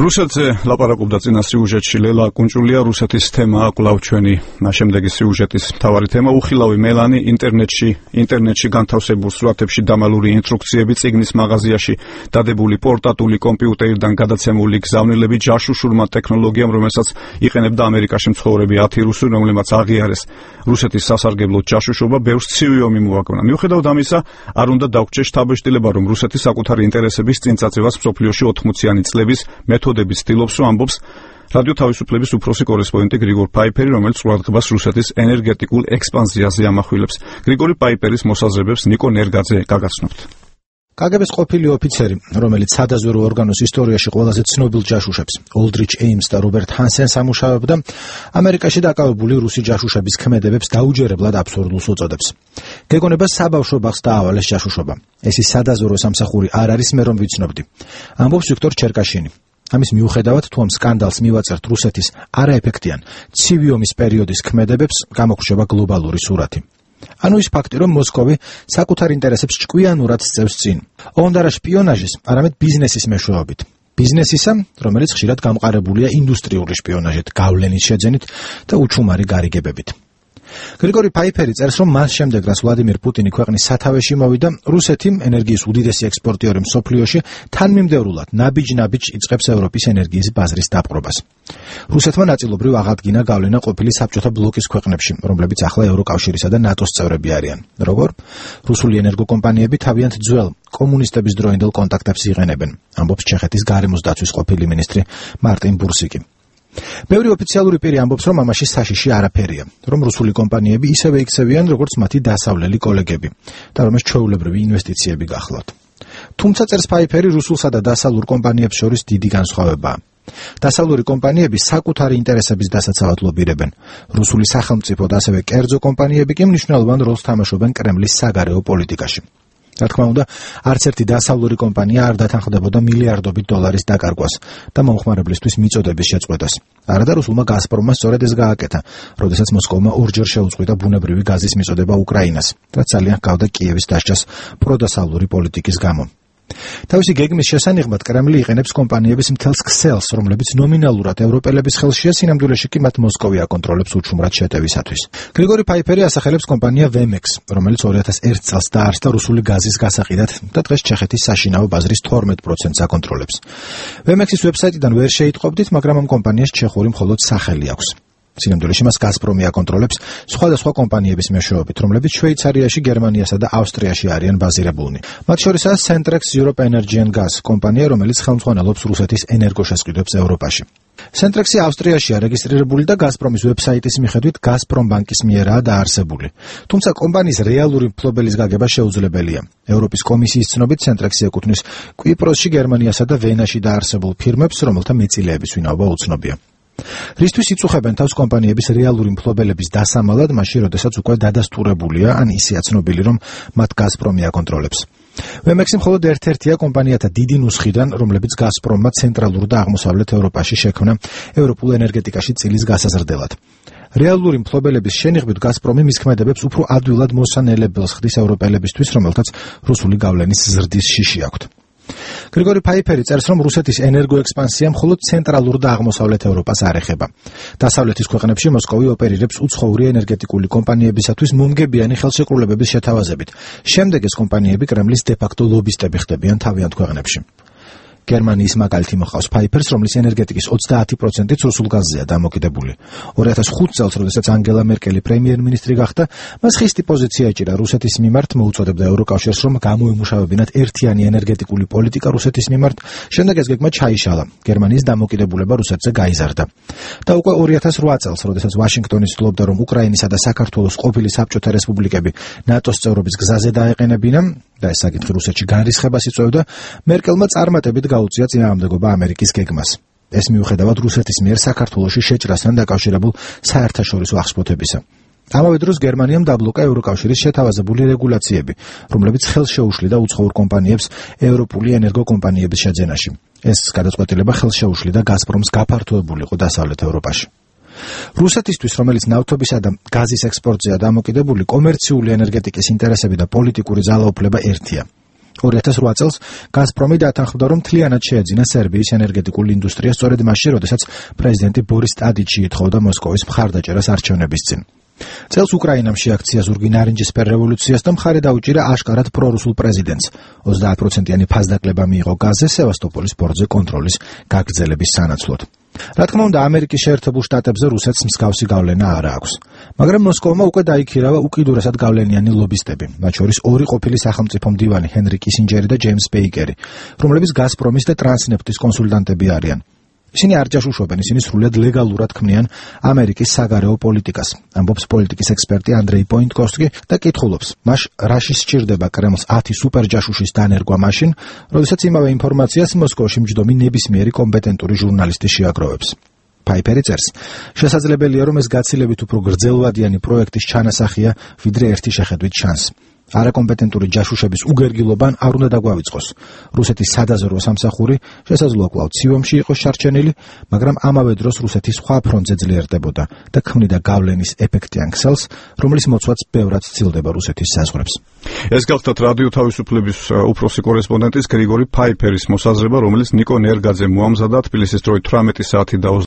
რუსეთზე ლაპარაკობდა წინა სიუჟეტში ლელა კუნჭულია. რუსეთის თემაა კვლავ ჩვენი შემდეგი სიუჟეტის მთავარი თემა. უხილავი მელანი ინტერნეტში განთავსებულ სურათებში დამალული ინსტრუქციები, წიგნის მაღაზიაში დადებული პორტატული კომპიუტერიდან გადაცემული გზავნილები, ჯაშუშურმა ტექნოლოგიამ, რომელსაც იყენებდა ამერიკაში მცხოვრები 10 რუსი, რომლებმაც აღიარეს რუსეთის სასარგებლოდ ჯაშუშობა, ბევრს ცივი ომი მოაგონა. მიუხედავად ამისა, არ უნდა დაგვჭირდეს შთაბეჭდილება, რომ რუსეთი საკუთარი ინტერესების წინწაწევას მსოფლიოში 80-იანი წლების მეთოდებით ცდილობს, რომ ამბობს რადიო თავისუფლების უფროსი კორესპონდენტი გრიგორ პაიპერი, რომელიც ყურადღებას რუსეთის ენერგეტიკულ ექსპანზიაზე ამახვილებს. გრიგორი პაიპერის მოსაზრებებს ნიკო ნერგაძე გაგაცნობთ. კგბ-ს ყოფილი ოფიცერი, რომელიც სადაზვერო ორგანოს ისტორიაში ყველაზე ცნობილ ჯაშუშებს, ოლდრიჩ ეიმს და რობერტ ჰანსენს ამუშავებდა, ამერიკაში დაკავებული რუსი ჯაშუშების ქმედებებს დაუჯერებლად აბსურდულს უწოდებს. გეგონებას საბავშვო ბაღს დაავალეს ჯაშუშობა. ეს ის სადაზვერო სამსახური არ არის, მე რომ ვიცნობდი. ამბობს ვიქტორ ჩერკაშინი. ამის მიუხედავად, თუ ამ სკანდალს მივაწერთ რუსეთის არაეფექტიან ცივი ომის პერიოდის ქმედებებს, გამოგვშობა გლობალური სურათი. ანუ ის ფაქტი, რომ მოსკოვი საკუთარ ინტერესებს ჭკვიანურად სწევს წინ. ოღონდ არა შპიონაჟის, არამედ ბიზნესის მეშვეობით. ბიზნესისა, რომელიც ხშირად გამყარებულია ინდუსტრიული შპიონაჟით, გავლენის შეძენით და უჩუმარი გარიგებებით. გრიგორი პაიპერი წერს, რომ მას შემდეგ, რაც ვლადიმირ პუტინი ქვეყნის სათავეში მოვიდა, რუსეთი, ენერგიის უდიდესი ექსპორტიორი მსოფლიოში, თანმიმდევრულად ნაბიჯ-ნაბიჯ იწყებს ევროპის ენერგიის ბაზრის დაპყრობას. რუსეთმა ნაწილობრივ აღადგინა გავლენა ყოფილი საბჭოთა ბლოკის ქვეყნებში, რომლებიც ახლა ევროკავშირისა და ნატოს წევრები არიან. როგორ? რუსული ენერგოკომპანიები თავიანთ ძველ კომუნისტების დროინდელ კონტაქტებს იყენებენ, ამბობს ჩეხეთის გარემოს დაცვის ყოფილი მინისტრი მარტინ ბურსიკი. ბევრი ოფიციალური პირი ამბობს, რომ ამაში საშიში არაფერია, რომ რუსული კომპანიები ისევე იქცევიან, როგორც მათი დასავლელი კოლეგები და რომ ეს ჩვეულებრივი ინვესტიციები გახლავთ. თუმცა წერს პაიპერი, რუსულსა და დასავლურ კომპანიებს შორის დიდი განსხვავებაა. დასავლური კომპანიები საკუთარი ინტერესების დასაცავად ლობირებენ. რუსული სახელმწიფო და ასევე კერძო კომპანიები კი მნიშვნელოვან როლს თამაშობენ კრემლის საგარეო პოლიტიკაში. რა თქმა უნდა, არც ერთი დასავლური კომპანია არ დათანხმდებოდა მილიარდობით დოლარის დაკარგვას და მომხმარებლისთვის მიწოდების შეწყვეტას. არადა რუსულმა გაზპრომმა სწორედ ეს გააკეთა, როდესაც მოსკოვმა ორჯერ შეუწყვიტა ბუნებრივი გაზის მიწოდება უკრაინას, რაც ძალიან ჰგავდა კიევის დასჯას პროდასავლური პოლიტიკის გამო. თავისი გეგმის შესანიღბად კრემლი იყენებს კომპანიების მთელს ქსელს, რომლებიც ნომინალურად ევროპელების ხელშია, სინამდვილეში კი მათ მოსკოვი აკონტროლებს უჩუმრად შეტევისათვის. გრიგორი პაიპერი ასახელებს კომპანია ვემექს, რომელიც 2001 წელს დაარსდა რუსული გაზის გასაყიდად და დღეს ჩეხეთის საშინაო ბაზრის 12%-ს აკონტროლებს. ვემექსის ვებსაიტიდან ვერ შეიტყობდით, მაგრამ ამ კომპანიას ჩეხური მხოლოდ სახელი აქვს. სინამდვილეში მას გაზპრომი აკონტროლებს სხვადასხვა კომპანიების მეშვეობით, რომლებიც შვეიცარიაში, გერმანიასა და ავსტრიაში არიან ბაზირებულნი. მათ შორისაა Centrex Europe Energy and Gas კომპანია, რომელიც ხელმძღვანელობს რუსეთის ენერგოშესყიდვებს ევროპაში. Centrex-ი ავსტრიაშია რეგისტრირებული და გაზპრომის ვებსაიტის მიხედვით გაზპრომბანკის მიერაა დაარსებული. თუმცა კომპანიის რეალური მფლობელის გაგება შეუძლებელია. ევროპის კომისიის ცნობით Centrex-ი ეკუთვნის კვიპროსში, გერმანიასა და ვენაში დაარსებულ ფირმებს, რომელთა მეწილეების ვინაობა უცნობია. რისთვის იწუხებენ თავს კომპანიების რეალური მფლობელების დასამალად, მაშინ როდესაც უკვე დადასტურებულია, ან ისეა ცნობილი, რომ მათ გაზპრომი აკონტროლებს. ვემექსი მხოლოდ ერთ-ერთია კომპანიათა დიდი ნუსხიდან, რომლებიც გაზპრომმა ცენტრალურ და აღმოსავლეთ ევროპაში შექმნა ევროპულ ენერგეტიკაში წილის გასაზრდელად. რეალური მფლობელების შენიღბით გაზპრომი მის ქმედებებს უფრო ადვილად მოსანელებელს ხდის ევროპელებისთვის, რომელთაც რუსული გავლენის ზრდის შიში აქვთ. გრიგორი პაიპერი წერს, რომ რუსეთის ენერგოექსპანსია მხოლოდ ცენტრალურ და აღმოსავლეთ ევროპას არ ეხება. დასავლეთის ქვეყნებში მოსკოვი ოპერირებს უცხოური ენერგეტიკული კომპანიებისათვის მომგებიანი ხელშეკრულებების შეთავაზებით. შემდეგ ეს კომპანიები კრემლის დე-ფაქტო ლობისტები ხდებიან თავიანთ ქვეყნებში. გერმანიის მაგალითი მოყავს პაიპერს, რომლის ენერგეტიკის 30%-იც რუსულ გაზზეა დამოკიდებული. 2005 წელს, როდესაც ანგელა მერკელი პრემიერ-მინისტრი გახდა, მას ხისტი პოზიცია ეჭირა რუსეთის მიმართ, მოუწოდებდა ევროკავშირს, რომ გამოემუშავებინათ ერთიანი ენერგეტიკული პოლიტიკა რუსეთის მიმართ. შემდეგ ეს გეგმა ჩაიშალა. გერმანიის დამოკიდებულება რუსეთზე გაიზარდა. და უკვე 2008 წელს, როდესაც ვაშინგტონი ცდილობდა, რომ უკრაინისა და საქართველოს ყოფილი საბჭოთა რესპუბლიკები ნატოს წევრობის გზაზე დაეყენებინა, და ეს საკითხი რუსეთში განრისხებას იწვევდა, მერკელმა წარმატებით გაუწია წინააღმდეგობა ამერიკის გეგმას. ეს მიუხედავად რუსეთის მიერ საქართველოში შეჭრასთან დაკავშირებულ საერთაშორისო აღშფოთებისა. ამავე დროს გერმანიამ დაბლოკა ევროკავშირის შეთავაზებული რეგულაციები, რომლებიც ხელს შეუშლიდა უცხოურ კომპანიებს ევროპული ენერგოკომპანიების შეძენაში. ეს გადაწყვეტილება ხელს შეუშლიდა გაზპრომს გაფართოებულიყო დასავლეთ ევროპაში. რუსეთისთვის, რომელიც ნავთობისა და გაზის ექსპორტზეა დამოკიდებული, კომერციული ენერგეტიკის ინტერესები და პოლიტიკური ძალაუფლება ერთია. 2008 წელს გაზპრომი დათანხმდა, რომ მთლიანად შეეძინა სერბიის ენერგეტიკული ინდუსტრია სწორედ მაშინ, როდესაც პრეზიდენტი ბორის ტადიჩი ითხოვდა მოსკოვის მხარდაჭერას არჩევნების წინ. წელს უკრაინამ შეაქცია ზურგი ნარინჯისფერ რევოლუციას და მხარე დაუჭირა აშკარად პრორუსულ პრეზიდენტს. 30%-იანი ფასდაკლება მიიღო გაზზე სევასტოპოლის პორტზე კონტროლის გაგრძელების სანაცვლოდ. რა თქმა უნდა, ამერიკის შეერთებულ შტატებზე რუსეთს მსგავსი გავლენა არ აქვს. მაგრამ მოსკოვმა უკვე დაიქირავა უკიდურესად გავლენიანი ლობისტები, მათ შორის ორი ყოფილი სახელმწიფო მდივანი ჰენრი კისინჯერი და ჯეიმს ბეიკერი, რომლებიც გაზპრომის და ტრანსნეფტის კონსულტანტები არიან. ისინი არ ჯაშუშობენ, ისინი სრულიად ლეგალურად ქმნიან ამერიკის საგარეო პოლიტიკას, ამბობს პოლიტიკის ექსპერტი ანდრეი პოინტკოვსკი და კითხულობს, მას რაში სჭირდება კრემლს 10 სუპერჯაშუშის დანერგვა მაშინ, როდესაც იმავე ინფორმაციას მოსკოვში მჯდომი ნებისმიერი კომპეტენტური ჟურნალისტი შეაგროვებს. Piperi წერს, შესაძლებელია, რომ ეს გაცილებით უფრო გრძელვადიანი პროექტის ჩანასახია, ვიდრე ერთი შეხედვით ჩანს. არაკომპეტენტური ჯაშუშების უგერგილობან არ უნდა დაგვავიწყოს. რუსეთის სადაზვერვო სამსახური შესაძლოა კვლავ ცივომში იყოს შარჩენილი, მაგრამ ამავე დროს რუსეთის სხვა ფრონტზე ძლიერდებოდა და ქმნიდა გავლენის ეფექტიან ქსელს, რომლის მოცვაც ბევრად სცილდება რუსეთის საზღვრებს. ეს გახლდათ რადიო თავისუფლების უფროსი კორესპონდენტის გრიგორი ფაიფერის მოსაზრება, რომელიც ნიკო ნერგაძე მოამზადა თბილისის დროით 18 საათი და